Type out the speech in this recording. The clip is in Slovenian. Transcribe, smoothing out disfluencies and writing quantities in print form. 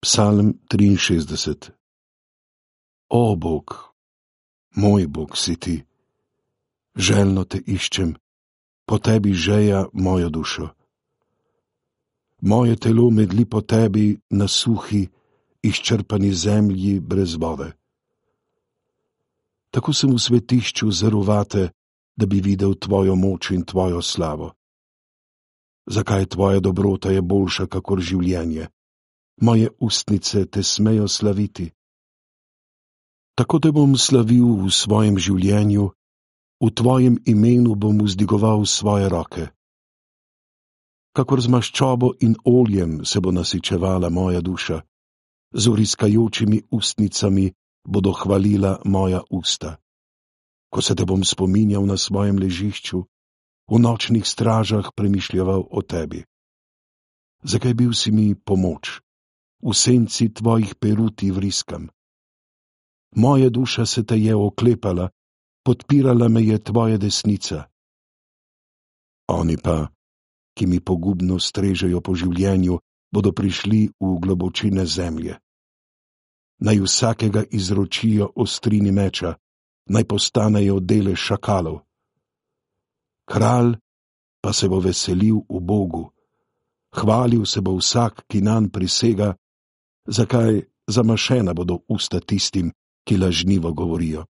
Psalm 63. O Bog, moj Bog si ti, željno te iščem, po tebi žeja mojo dušo. Moje telo medli po tebi na suhi, izčrpani zemlji brez vode. Tako sem v svetišču zarovate, da bi videl tvojo moč in tvojo slavo. Zakaj tvoja dobrota je boljša kakor življenje? Moje ustnice te smejo slaviti. Tako te bom slavil v svojem življenju, v tvojem imenu bom vzdigoval svoje roke. Kakor z maščobo in oljem se bo nasičevala moja duša, z vriskajočimi ustnicami bodo hvalila moja usta. Ko se te bom spominjal na svojem ležišču, v nočnih stražah premišljaval o tebi. Zakaj bil si mi pomoč? V senci tvojih peruti vriskam. Moja duša se te je oklepala, podpirala me je tvoja desnica. Oni pa, ki mi pogubno strežejo po življenju, bodo prišli v globočine zemlje. Naj vsakega izročijo ostrini meča, naj postanejo dele šakalov. Kralj pa se bo veselil v Bogu, hvalil se bo vsak, ki nanj prisega, zakaj zamašena bodo usta tistim, ki lažnivo govorijo.